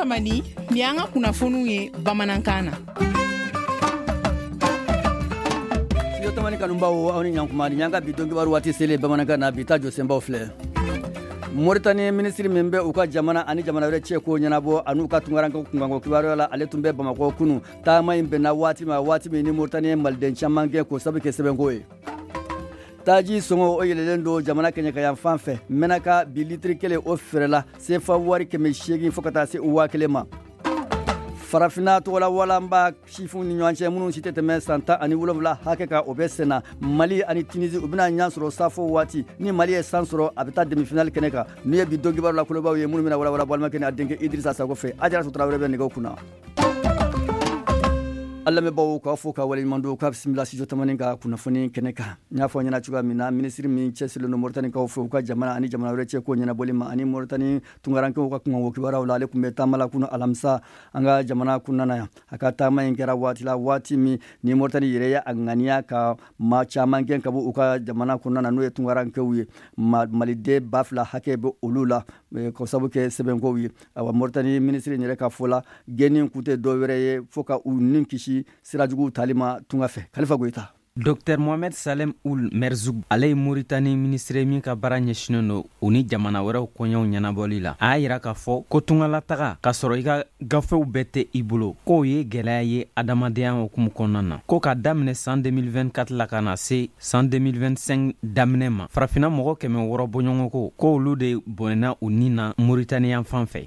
Tamani, nin y'an ka kunnafoniw ye bamanankan na. Studio Tamani kanubaw, aw ni ɲankuma. Nin y'an ka bi don kibaru waati selen bamanankan na. Bi ta jɔsenbaw filɛ: Moritani minisiri min bɛ u ka jamana ani jamana wɛrɛ cɛ ko ɲɛnabɔ an'u ka tunkarankew kunkanko kibaruya la, ale tun bɛ Bamakɔ kunu. Taama in bɛnna waati ma, waati min ni Moritani ye maliden caman gɛn k'o sabu kɛ sɛbɛnko ye. Taji sɔngɔ o yɛlɛlen don jamana kɛɲɛkayan fan fɛ. Mɛnaka, bi litiri kelen o feerela sefa wari 800 fo ka taa se 1000 ma. Farafinna tɔgɔla walanba sifinw ni ɲɔgɔn cɛ minnu si tɛ tɛmɛ san 17 hakɛ kan, o bɛ senna. Mali ani Tunisi, u bɛna ɲɔgɔn sɔrɔ safo waati. Ni Mali ye san sɔrɔ, a bɛ taa demi-finale kɛnɛ kan. Nin ye bi don kibaru la kolobaw ye minnu bɛna walawala balimakɛ ni a denkɛ Idrissa Sako fɛ. Ajaratu Tarawele bɛ nɛgɛw kunna. An lamɛnbaaw, k'aw fo ka waleɲuman don, k'a bisimila Studio Tamani ka kunnafoni kɛnɛ kan. N y'a fɔ ɲɛna cogoya min na, minisiri min cɛsirilen don Moritanikaw fɛ u ka jamana ani jamana wɛrɛ cɛ ko ɲɛnabɔli ma ani Moritani tunkarankew ka kunkanko kibaruyaw la, ale tun bɛ taama la kunu alamisa an ka jamana kɔnɔna na yan. A ka taama in kɛra waati la, waati min ni Moritani yɛrɛ ye a ŋaniya ka maa caman gɛn ka bɔ u ka jamana kɔnɔna na, n'o ye tunkarankew ye. Maliden 2000 hakɛ bɛ olu la k'o sababu kɛ sɛbɛnkow ye. Awa, Moritani minisiri yɛrɛ ka fɔ la, gɛnni kun tɛ dɔ wɛrɛ ye fo ka u ni kisi sira juguw tali ma tunga fɛ. Kalifa Goyita. Dr Mohamed Salem Ould Merzoug, ale ye Moritani minisiri min ka baara ɲɛsinnen don u ni jamana wɛrɛw koɲɛw ɲɛnabɔli la, a y'a yira k'a fɔ ko tungalataga k'a sɔrɔ i ka gafew bɛɛ tɛ i bolo, k'o ye gwɛlɛya ye adamadenya hukumu kɔnɔna na. Ko k'a daminɛ san 2024 la ka na se san 2025 daminɛ ma, farafina mɔgɔ 600 bɔɲɔgɔnko, ko olu de bɔnɛna u ni na Moritani yan fan fɛ.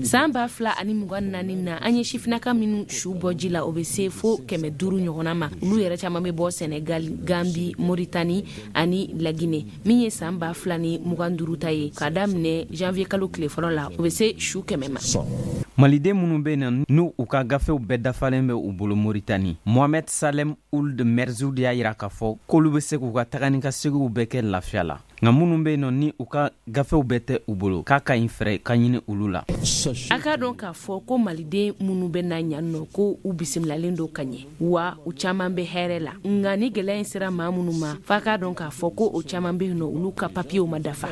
San 2024 na, an ye sifinnaka minnu su bɔ ji la, o bɛ se fo 500 ɲɔgɔnna ma. Olu yɛrɛ caman bɛ bɔ Senegal, Gambi, Moritani ani Lagine. Min ye san 2025 ta ye, k'a daminɛ janvier kalo tile fɔlɔ la, o bɛ se su 100 ma. Maliden minnu bɛ na, n'u u ka gafew bɛɛ dafalen bɛ u bolo Moritani, Mohamed Salem Ould Merzoug y'a yira k'a fɔ k'olu bɛ se k'u ka taga ni ka seginw bɛɛ kɛ lafiya la. Nka minnu bɛ yen nɔ, ni u ka gafew bɛɛ tɛ u bolo, k'a ka ɲi fɛɛrɛ ka ɲini olu la. A k'a dɔn k'a fɔ ko maliden minnu bɛ na yan nɔ, ko u bisimilalen don ka ɲɛ, wa u caman bɛ hɛrɛ la. Nka ni gɛlɛya in sera maa minnu ma, f'a k'a dɔn k'a fɔ ko o caman bɛ yen nɔ, olu ka papiyew ma dafa.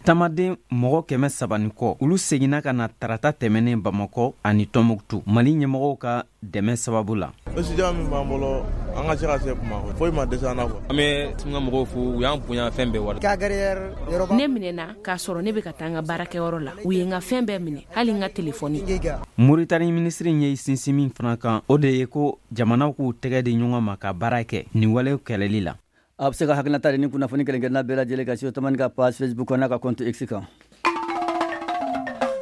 Tamaden mɔgɔ 300 ni kɔ, olu seginna ka na tarata tɛmɛnen Bamakɔ ani Tɔnbuktu, Mali ɲɛmɔgɔw ka dɛmɛ sababu la. Étudiant min b'an bolo, an ka se ka se Bamakɔ, foyi ma dɛsɛ an na quoi. An bɛ tunga mɔgɔw fo, u y'an bonya fɛn bɛɛ wari. Ne minɛna k'a sɔrɔ ne bɛ ka taa n ka baarakɛyɔrɔ la. U ye n ka fɛn bɛɛ minɛ, hali n ka telefɔni. Moritani minisiri ye sinsin min fana kan, o de ye ko jamanaw k'u tɛgɛ di ɲɔgɔn ma ka baara kɛ nin walew kɛlɛli la. A bɛ se ka hakilinata di ni kunnafoni kelen-kelenna bɛɛ lajɛlen kan Studio Tamani ka page Facebook n'a ka compte X kan.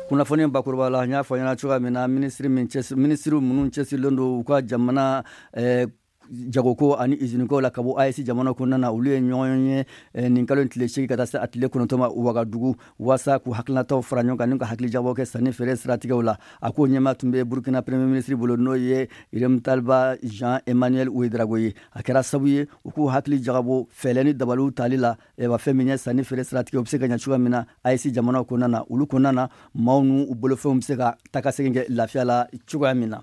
Kunnafoni bakuruba la, n y'a fɔ ɲɛna cogoya min na, minisiri min minisiriw minnu cɛsirilen don u ka jamana jagoko ani iziniko la ka bɔ AES jamana kɔnɔna na, olu ye ɲɔgɔn ye nin kalo in tile 8 ka taa se a tile 9 ma Wagadugu, waasa k'u hakilinataw fara ɲɔgɔn kan ni ka hakilijagabɔ kɛ sanni feere siratigɛw la. A ko ɲɛmaa tun bɛ Burkina premier ministre bolo, n'o ye Rimtalba Jean Emmanuel Ouedraogo ye. A kɛra sabu ye u k'u hakili jagabɔ fɛɛrɛ ni dabaliw tali la wa fɛn min ye sanni feere siratigɛ, u bɛ se ka ɲɛ cogoya min na AES jamanaw kɔnɔna na, olu kɔnɔna na maaw n'u bolofɛnw bɛ se ka taa segin kɛ lafiya la cogoya min na.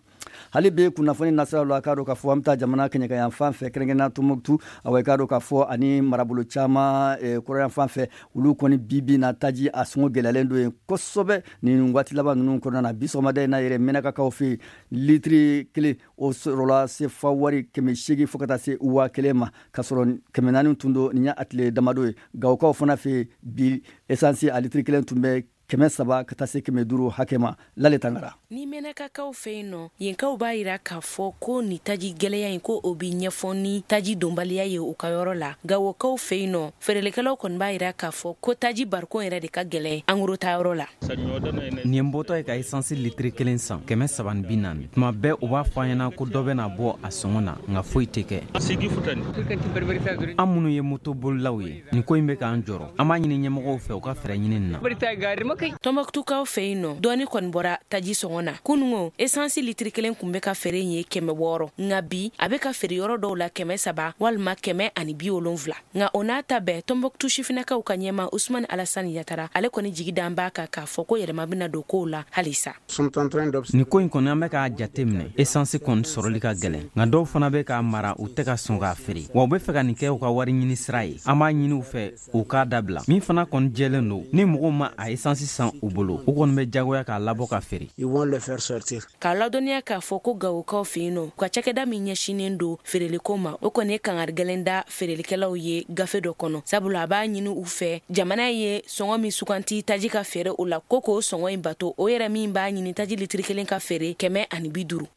Hali bi kunnafoni nasiraw la, k'a dɔn k'a fɔ an bɛ taa jamana kɛɲɛka fan fɛ, kɛrɛnkɛrɛnnenya Tɔnbɔkutu. Awa, i k'a dɔn k'a fɔ ani marabolo caman kɔrɔyan fan fɛ, olu kɔni bi bi na, taji a sɔngɔ gɛlɛyalen don yen kosɛbɛ nin waati laban ninnu kɔnɔna na. Bi sɔgɔmada in na yɛrɛ, Mɛnakakaw fɛ yen, litiri kelen o sɔrɔla sefa wari 800 fo ka taa se 1000 ma, k'a sɔrɔ 400 tun don nin y'a tile damadɔ ye. Gawokaw fana fɛ yen, bi esansi a litiri kelen tun bɛ 300 ka taa se 500 hakɛ ma. Lale Tangara. Ni Mɛnakakaw fɛ yen nɔ, yenkaw b'a yira k'a fɔ ko ni taji gɛlɛya in, ko o bi ɲɛfɔ ni taji donbaliya ye u ka yɔrɔ la. Gawokaw fɛ yen nɔ, feerelikɛlaw kɔni b'a yira k'a fɔ ko taji barikon yɛrɛ de ka gɛlɛn en gros ta yɔrɔ la. Nin ye n bɔtɔ ye ka esansi litiri kelen san 340. Tuma bɛɛ u b'a fɔ an ɲɛna ko dɔ bɛna bɔ a sɔngɔ na, nka foyi tɛ kɛ. An minnu ye motobolilaw ye, nin ko in bɛ k'an jɔrɔ. An b'a ɲini ɲɛmɔgɔw fɛ u ka fɛɛrɛ ɲini nin na. Tɔnbɔkutukaw fɛ yen nɔ, dɔɔni kɔni bɔra taji sɔngɔ na. Kunungo, esansi litiri kelen kun bɛ ka feere ye 600, nka bi a bɛ ka feere yɔrɔ dɔw la 300 walima 170. Nka o n'a ta bɛɛ, Tɔnbɔkutu sifinnakaw ka ɲɛma Usumani Alasani Yatara, ale kɔni jigi dan b'a kan k'a fɔ ko yɛlɛma bɛna don kow la halisa. Nin ko in kɔni, an bɛ k'a jate minɛ, esansi kɔni sɔrɔli ka gɛlɛn, nka dɔw fana bɛ k'a mara, u tɛ ka sɔn k'a feere, wa u bɛ fɛ ka nin kɛ u ka wari ɲini sira ye. An b'a ɲini u fɛ u k'a dabila. Min fana kɔni jɛlen don, ni mɔgɔw ma a esansi san u bolo, u kɔni bɛ jagoya k'a labɔ ka feere. K'a ladɔnniya k'a fɔ ko Gawokaw fɛ yen nɔ, u ka cakɛda min ɲɛsinnen don feereliko ma, o kɔni ye kangari gɛlɛn da feerelikɛlaw ye gafe dɔ kɔnɔ, sabula a b'a ɲini u fɛ, jamana ye sɔngɔ min suganti taji ka feere o la, ko k'o sɔngɔ in bato, o yɛrɛ min b'a ɲini taji litiri kelen ka feere 150.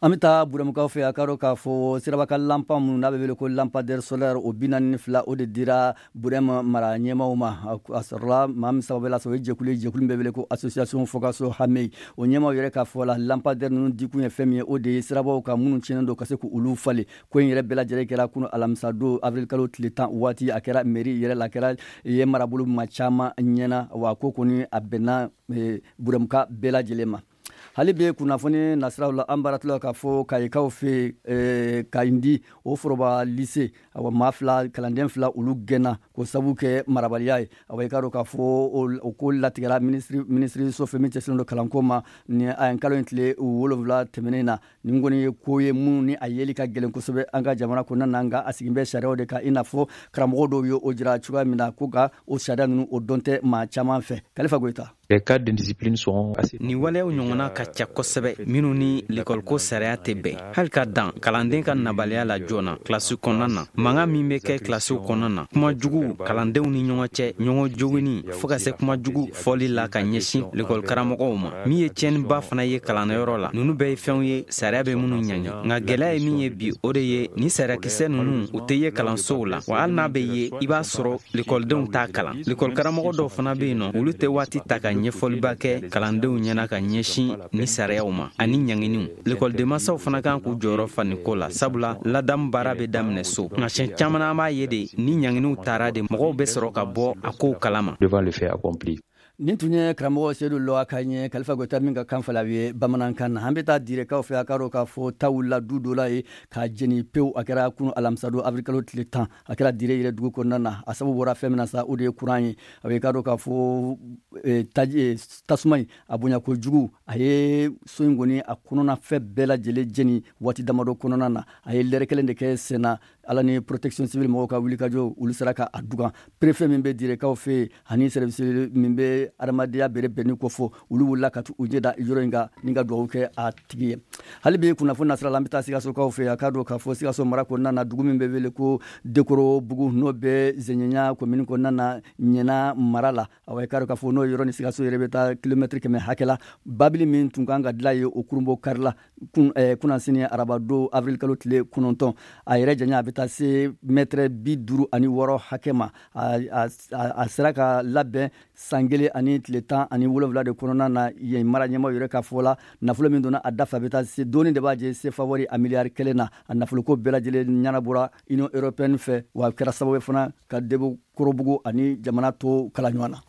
An bɛ taa Burɛmukaw fɛ. A ka dɔn k'a fɔ siraba kan lanpan minnu n'a bɛ wele ko lampadaire solaire, o 42, o de dira Burɛm mara ɲɛmaw ma. A sɔrɔla maa min sababu la, o ye jɛkulu ye, jɛkulu bɛ wele ko Association Fogaso Hamey. O ɲɛmaw yɛrɛ ka fɔ la, lampadaire ninnu dikun ye fɛn min ye, o de ye sirabaw kan minnu tiɲɛnen don, ka se k'olu falen. Ko in yɛrɛ bɛɛ lajɛlen kɛra kunu alamisa don, avril kalo tile 10 waati. A kɛra mairie yɛrɛ la, a kɛra yen marabolo maa caman ɲɛna. Wa ko kɔni a bɛnna Burɛmuka bɛɛ lajɛlen ma. Hali bi kunnafoni nasiraw la, an baaratɔla k'a fɔ Kayikaw fɛ yen, Kayindi, o foroba lycée, awa, maa fila, kalanden fila, olu gɛnna k'o sabu kɛ marabaliya ye. Awa, i k'a dɔn k'a fɔ o ko latigɛra minisiriso fɛ min cɛsinnen don kalanko ma ni a kalo in tile 7 tɛmɛnen na. Nin kɔni ye ko ye minnu ni a yeli ka gɛlɛn kosɛbɛ an ka jamana kɔnɔna na, nka a sigin bɛ sariyaw de kan, i n'a fɔ karamɔgɔ dɔw ye o jira cogoya min na, ko ka o sariya ninnu, o dɔn tɛ maa caman fɛ. Kalifa Goyita. Les cas d'indiscipline sont assez. Nin waleyaw ɲɔgɔnna ka ca kosɛbɛ minnu ni lekɔliko sariya tɛ bɛn, hali ka dan kalanden ka nabaliya la joona kilasi kɔnɔna na, mankan min bɛ kɛ kilasiw kɔnɔna na, kuma jugu kalandenw ni ɲɔgɔn cɛ, ɲɔgɔn jogini, fɔɔ ka se kuma jugu fɔli la ka ɲɛsin lekɔlikaramɔgɔw ma, min ye tiɲɛniba fana ye kalanyɔrɔ la. Ninnu bɛɛ ye fɛnw ye sariya bɛ minnu ɲangi. Nka gɛlɛya ye min ye bi, o de ye ni sariyakisɛ ninnu, u tɛ ye kalansow la wa. Hali n'a bɛ ye, i b'a sɔrɔ lekɔlidenw t'a kalan. Lekɔlikaramɔgɔ dɔw fana bɛ yen nɔ, olu tɛ waati ta ka ɲɛfɔliba kɛ kalandenw ɲɛna ka ɲɛsin ni sariyaw ma ani ɲanginiw. Lekɔlidenmasaw fana kan k'u jɔyɔrɔ fa nin ko la, sabula ladamu baara bɛ daminɛ so. Nka siɲɛ caman, an b'a ye de, ni ɲanginiw taara de, mɔgɔw bɛ sɔrɔ ka bɔ a kow kalama. Devant le fait accompli. Nin tun ye karamɔgɔ Sedu Lɔa ka ɲɛ Kalifa Goyita min ka kan fala ye bamanankan na. An bɛ taa Direkaw fɛ. A ka dɔn k'a fɔ ta wulila du dɔ la ye k'a jeni pewu. A kɛra kunu alamisadon, avril kalo tile 10. A kɛra Dire yɛrɛ dugu kɔnɔna na. A sababu bɔra fɛn min na sa, o de ye kuran ye. A bɛ k'a dɔn k'a fɔ taji tasuma in a bonya kojugu, a ye so in kɔni a kɔnɔna fɛn bɛɛ lajɛlen jeni waati damadɔ kɔnɔna na. A ye lɛrɛ kelen de kɛ sen na. Ala ni protection civile mɔgɔw ka wulikajɔ, olu sera ka a dugan. Préfet min bɛ Direkaw fɛ yen ani service min bɛ adamadenya bɛrɛ bɛnni ko fɔ, olu wulila ka u ɲɛ da yɔrɔ in kan ni ka dugawu kɛ a tigi ye. Hali bi kunnafoni nasira la, an bɛ taa Sikasokaw fɛ. A k'a dɔn k'a fɔ Sikaso mara kɔnɔna na, dugu min bɛ wele ko Dekorobugu, n'o bɛ Zɛɲɛɲa commune kɔnɔna na, Ɲɛna mara la, awa, i k'a dɔn k'a fɔ n'o yɔrɔ ni Sikaso yɛrɛ bɛ taa kilomɛtiri 100 hakɛ la, babili min tun kan ka dilan ye, o kurunbɔ karila kunnasini arabadon, avril kalo tile 9. A yɛrɛ janya, a bɛ taa se mɛtɛrɛ 56 hakɛ ma. A sera ka labɛn san kelen ani tile 17 de kɔnɔna na. Yen mara ɲɛmaw yɛrɛ ka fɔ la, nafolo min donna a da fɛ, a bɛ taa se dɔɔni de b'a jɛ sefa wari a miliyari 1 na. A nafoloko bɛɛ lajɛlen ɲɛnabɔra Union européenne fɛ, wa a kɛra sababu ye fana ka Debokorobugu ani jamana to kala ɲɔgɔn na.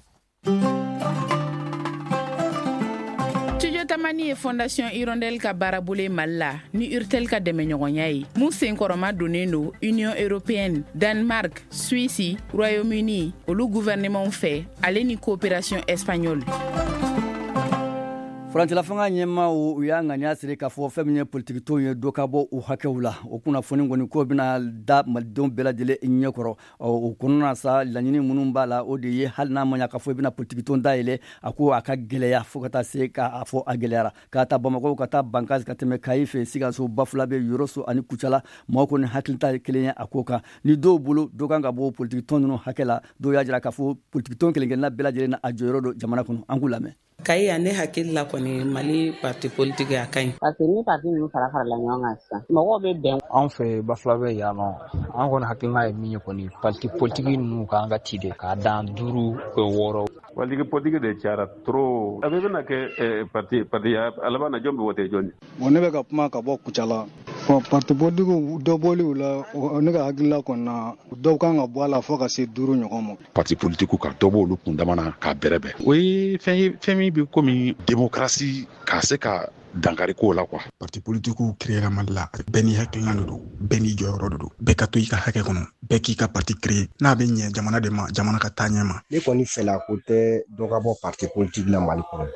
Studio Tamani ye Fondation Hirondelle ka baarabolo ye Mali la ni Urtel ka dɛmɛɲɔgɔnya ye, mun senkɔrɔma donnen don Union européenne, Danemark, Suisse, Royaume-Uni, olu gouvernement fɛ, ale ni coopération espagnole. Furancɛla fanga ɲɛmaw, u y'a ŋaniya siri k'a fɔ fɛn min ye politikitɔnw ye, dɔ ka bɔ u hakɛw la. O kunnafoni kɔni ko bɛna da malidenw bɛɛ lajɛlen ɲɛkɔrɔ. O kɔnɔna sa, laɲini minnu b'a la, o de ye hali n'a ma ɲa k'a fɔ i bɛna politikitɔn dayɛlɛ, a ko a ka gɛlɛya fo ka taa se k'a fɔ a gɛlɛyara. K'a ta Bamakɔ ka taa Bankasi, ka tɛmɛ Kayi fɛ, Sikaso, Bafulabe, Yoroso ani Kucala, maaw kɔni hakilita ye kelen ye a ko kan. Ni dɔw bolo, dɔ kan ka bɔ politikitɔn ninnu hakɛ la. Dɔw y'a jira k'a fɔ politikitɔn kelen-kelenna bɛɛ lajɛlen na a jɔyɔrɔ don jamana kɔnɔ. An k'u lamɛn. Kayi yan, ne hakili la kɔni, Mali parti politique, a ka ɲi, parce que ni parti ninnu fara farala ɲɔgɔn kan sisan, mɔgɔw bɛ bɛn. Anw fɛ Bafulabɛ yan nɔ, an kɔni hakilina ye min ye kɔni, parti politique ninnu k'an ka ci de k'a dan duuru, wɔɔrɔ. Politique politique de cayara trop. A bɛɛ bɛna kɛ parti parti, a laban na, jɔn bɛ wote jɔn ye? Bon, ne bɛ ka kuma ka bɔ Kucala. Bon, parti politique dɔ bɔli u la, ne ka hakilila kɔni na, dɔw kan ka bɔ a la fo ka se duuru ɲɔgɔn ma. Parti politique, ka dɔ bɔ olu kundama na k'a bɛrɛbɛn, o ye fɛn ye, fɛn min bɛ komi démocratie ka se ka dankari ko la quoi. Parti politikiw créera Mali la, bɛɛ n'i hakilina de don, bɛɛ n'i jɔyɔrɔ de don. Bɛɛ ka to i ka hakɛ kɔnɔ, bɛɛ k'i ka parti créer n'a bɛ ɲɛ jamana de ma, jamana ka taa ɲɛ ma. Ne kɔni fɛla ko tɛ dɔ ka bɔ parti politique la Mali kɔnɔ.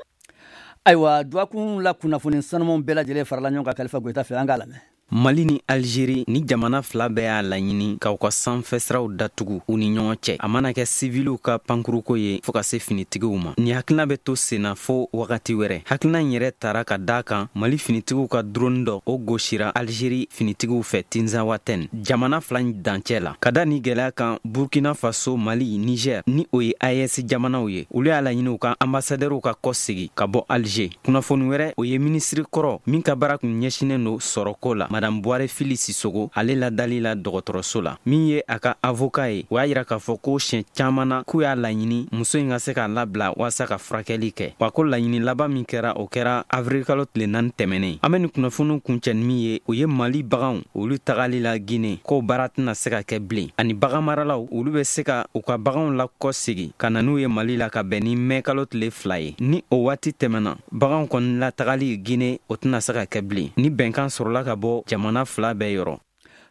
Ayiwa, dɔgɔkun la kunnafoni sanumanw bɛɛ lajɛlen farala ɲɔgɔn kan Kalifa Goyita fɛ. An k'a lamɛn. Mali ni Algérie ni jamana fila bɛɛ y'a laɲini k'aw ka sanfɛsiraw datugu u ni ɲɔgɔn cɛ, a mana kɛ siviliw ka pankuruko ye fɔɔ ka se finitigiw ma. Ni hakilina bɛ to senna fo wagati wɛrɛ. Hakilina in yɛrɛ tara ka da kan Mali finitigiw ka drone dɔ o gosira Algérie finitigiw fɛ Tinzawatɛn, jamana fila in dancɛ la. Ka da ni gɛlɛya kan, Burkina Faso, Mali, Niger ni o ye AES jamanaw ye, olu y'a laɲini u ka ambassadɛriw ka kɔsegi ka bɔ Alger. Kunnafoni wɛrɛ, o ye minisiri kɔrɔ min ka baara kun ɲɛsinnen don sɔrɔko la, Madame Buware Fili Sisogo, ale ladali la dɔgɔtɔrɔso la. Min ye a ka avocat ye, o y'a yira k'a fɔ ko siɲɛ caman na k'u y'a laɲini muso in ka se k'a labila walasa ka furakɛli kɛ. Wa ko laɲini laban min kɛra, o kɛra avril kalo tile 4 tɛmɛnen. An bɛ nin kunnafoniw kuncɛ ni min ye, o ye Mali baganw olu tagali la Guinée, k'o baara tɛna se ka kɛ bilen. Ani baganmaralaw, olu bɛ se ka u ka baganw lakɔsegi ka na n'u ye Mali la ka bɛn ni mɛ kalo tile 2 ye. Ni o waati tɛmɛna, baganw kɔni latagali Guinée, o tɛna se ka kɛ bilen. Ni bɛnkan sɔrɔla ka bɔ jamana fila bɛɛ yɔrɔ.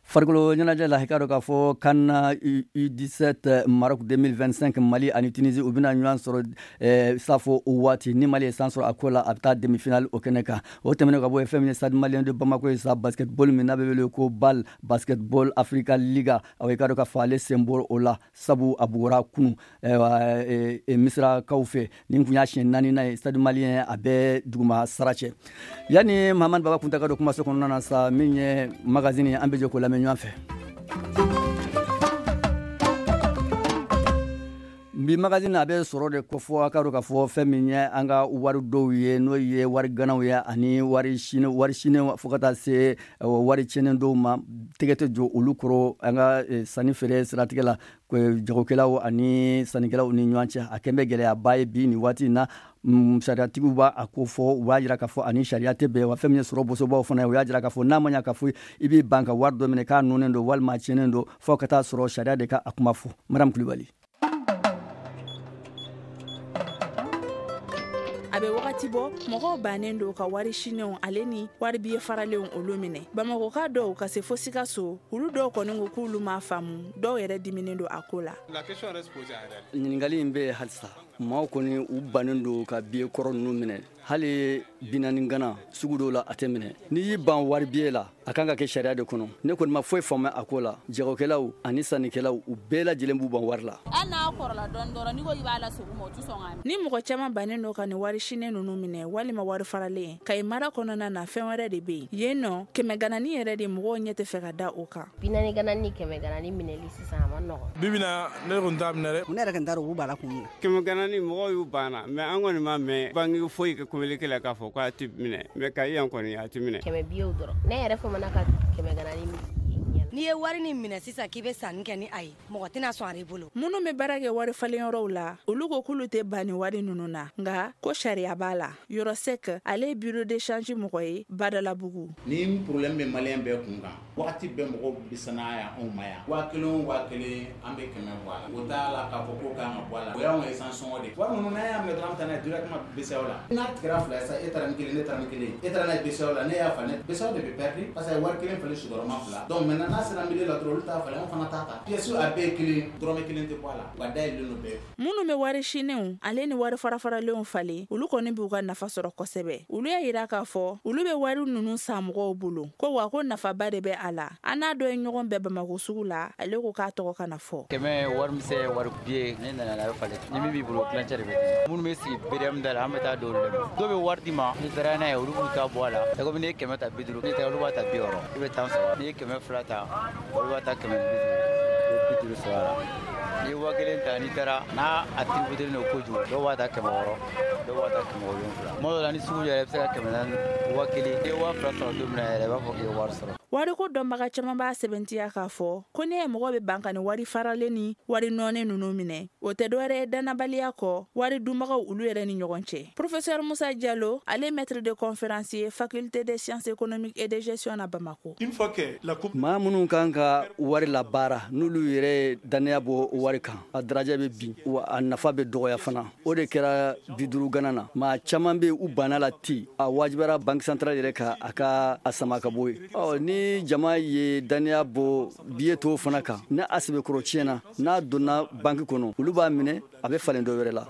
Farikolo ɲɛnajɛ la, i k'a dɔn k'a fɔ CAN U17 Maroc 2025, Mali ani Tunisie u bɛna ɲɔgɔn sɔrɔ safo o waati. Ni Mali ye san sɔrɔ a ko la, a bɛ taa demi-finale o kɛnɛ kan. O tɛmɛnen ka bɔ yen, fɛn min ye Stade Malien de Bamako ye sa, basketball min n'a bɛ wele ko BAL, Basketball Africa Liga, aw i k'a dɔn k'a fɔ ale sen bɔra o la, sabu a bugɔra kunu Misirakaw fɛ. Nin kun y'a siɲɛ 4nan ye Stade Malien a bɛ duguma sara cɛ. Yanni Mahamani Baba kunta ka don kumaso kɔnɔna na sa, min ye magazine, an bɛ jɛ k'o lamɛn ɲɔgɔn fɛ. Bi magazine a bɛ sɔrɔ de kofɔ. A ka dɔn k'a fɔ fɛn min ye an ka wari dɔw ye, n'o ye wari ganaw ye ani wari sini fo ka taa se wari tiɲɛnen dɔw ma, tɛgɛ tɛ jɔ olu kɔrɔ an ka sanni feere siratigɛ la, jagokɛlaw ani sannikɛlaw ni ɲɔgɔn cɛ. A kɛn bɛ gɛlɛyaba ye bi nin waati in na. Sariyatigiw b'a a ko fɔ, u b'a jira k'a fɔ ani sariya tɛ bɛn wa. Fɛn min ye sɔrɔ bosobaw fana ye, u y'a jira k'a fɔ n'a ma ɲɛ k'a fɔ i b'i ban ka wari dɔ minɛ k'a nɔnnen don walima a tiɲɛnen don, fo ka taa sɔrɔ sariya de ka a kuma fɔ. Madame Kulibali. A bɛ wagati bɔ, mɔgɔw bannen don ka wari sinenw ale ni wari biye faralenw olu minɛ. Bamakɔka dɔw ka se fo Sikaso, olu dɔw kɔni ko k'olu m'a faamu, dɔw yɛrɛ diminen don a ko la. Ɲininkali in bɛ yen halisa. Maaw kɔni u bannen don ka biye kɔrɔ ninnu minɛ. Hali 40 gana sugu dɔw la, a tɛ minɛ. N'i y'i ban wari biye la, a kan ka kɛ sariya de kɔnɔ. Ne kɔni ma foyi faamuya a ko la. Jagokɛlaw ani sannikɛlaw, u bɛɛ lajɛlen b'u ban wari la. Hali n'a kɔrɔla dɔɔni dɔrɔn, n'i ko k'i b'a lasegin u ma, u tɛ sɔn k'a minɛ. Ni mɔgɔ caman bannen don ka nin wari sinen ninnu minɛ walima wari faralen, Kayi mara kɔnɔna na, fɛn wɛrɛ de bɛ yen. Yen nɔ, 100 ganani yɛrɛ de mɔgɔw ɲɛ tɛ fɛ ka da o kan. 40 ganani ni 100 ganani minɛli sisan a ma nɔgɔn. Bi bi na, ne kɔni t'a minɛ dɛ. Ne yɛrɛ kɔni t'a dɔn u b'a la kun min na. 100 ganani mɔgɔw y'u banna, mais an kɔni m'a mɛn banque foyi ka communiqué la k'a fɔ k'a tɛ minɛ, mais Kayi yan kɔni a tɛ minɛ. 100 biyew dɔrɔn. Ne yɛrɛ famana ka 100 ganani minɛ. N'i ye wari nin minɛ sisan k'i bɛ sanni kɛ ni a ye, mɔgɔ tɛna sɔn a bolo. Minnu bɛ baara kɛ wari falenyɔrɔw la, olu ko k'olu tɛ ban ni wari ninnu na, nka ko sariya b'a la. Yɔrɔ Sek, ale ye bureau de change mɔgɔ ye Badalabugu. Ni problème bɛ malien bɛɛ kun kan, wagati bɛɛ mɔgɔw bɛ sanaya yan anw ma yan. 1000 o 1000, an bɛ 100 bɔ a la. O t'a la k'a fɔ ko kan ka bɔ a la. O y'anw ka essence sɔngɔ de ye. Wari ninnu n'an y'a minɛ dɔrɔn, an bɛ taa n'a ye directement BCEAO la. N'a tigɛra fila ye sisan, e taara ni kelen, ne taara ni kelen, e taara n'a ye BCEAO la, ne y'a falen. BCEAO de bɛ perdu parce que wari kelen falen sigiyɔrɔma fila. Donc maintenant n'a sera milieu la dɔrɔn, olu t'a falen, anw fana t'a ta. Pièce a bɛɛ ye kelen, dɔrɔmɛ kelen tɛ bɔ a la. Wa dayɛlɛlen don bɛɛ. Minnu bɛ wari sinenw ale ni wari farafaralenw falen, olu kɔni b'u ka nafa sɔrɔ kosɛbɛ. Olu y'a yira k'a fɔ olu bɛ wari ninnu san mɔgɔw bolo, ko wa ko nafaba de bɛ a la. An n'a dɔ ye ɲɔgɔn bɛɛ Bamakɔ sugu la, ale ko k'a tɔgɔ kana fɔ. 100 wari misɛn, wari biye, ne nana n'a bɛ falen. Ni min b'i bolo, tilancɛ de bɛ di. Minnu bɛ sigi BDM da la, an bɛ taa d'olu de ma. Dɔw bɛ wari d'i ma, n'i taara n'a ye, olu b'u ta bɔ a la. C'est comme n'i ye 100 ta 50, n'i taara olu b'a ta 60, i bɛ 10 sɔrɔ. N'i ye 200 ta, olu b'a ta 150, i bɛ 50 sɔrɔ a la. N'i ye 1000 ta, n'i taara n'a a tributé don kojugu, dɔw b'a ta 600, dɔw b'a ta 700. Tuma dɔw la ni sugu jɛra, i bɛ se ka 400, 1000. N'i ye 2000 sɔrɔ don min na yɛrɛ, i b'a fɔ k'i ye wari sɔrɔ. Wariko dɔnbaga caman b'a sɛbɛntiya k'a fɔ ko ne ye mɔgɔ bɛ ban ka ni wari faralen ni wari nɔɔni ninnu minɛ, o tɛ dɔwɛrɛ ye dannabaliya kɔ wari dunbagaw olu yɛrɛ ni ɲɔgɔn cɛ. Professeur Musa Jalo, ale maître de conférence ye faculté des sciences économiques et de gestion na Bamako. Maa minnu kan ka wari labaara, n'olu yɛrɛ ye dannaya bɔ wari kan, a darajɛ bɛ bin wa a nafa bɛ dɔgɔya fana. O de kɛra 50 gana na. Maa caman bɛ u banna la ten, a wajibiyara banque centrale yɛrɛ ka a ka a sama ka bɔ yen. Ɔ ni Ni jama ye dannaya bɔ biye tɔw fana kan, ni a sɛbɛkɔrɔ tiɲɛna, n'a donna banki kɔnɔ, olu b'a minɛ, a bɛ falen dɔ wɛrɛ la.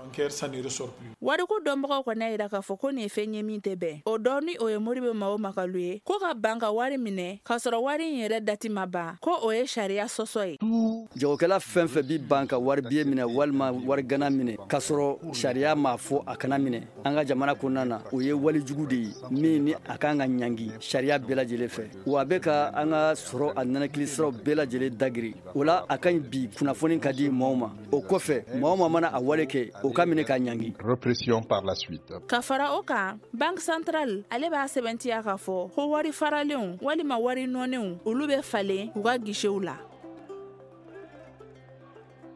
Wariko dɔnbagaw kɔni y'a jira k'a fɔ ko nin ye fɛn ye min tɛ bɛn. O dɔ ni o ye Modibo Mao Makalu ye, ko ka ban ka wari minɛ k'a sɔrɔ wari in yɛrɛ dati ma ban, ko o ye sariya sɔsɔ ye. Jagokɛla fɛn fɛn bi ban ka wari biye minɛ walima wari gana minɛ k'a sɔrɔ sariya m'a fɔ a kana minɛ an ka jamana kɔnɔna na, o ye walejugu de ye min ni a kan ka ɲangi sariya bɛɛ lajɛlen fɛ. Wa a bɛ ka an ka sɔrɔ a nɛnɛkili siraw bɛɛ lajɛlen dagiri. O la, a ka ɲi bi kunnafoni ka di maaw ma. O kɔfɛ, maa o maa mana a wale kɛ, o ka minɛ ka ɲangi. Répression par la suite. Ka fara o kan, Banque centrale ale b'a sɛbɛntiya k'a fɔ ko wari faralenw walima wari nɔnenw, olu bɛ falen u ka guichetw la.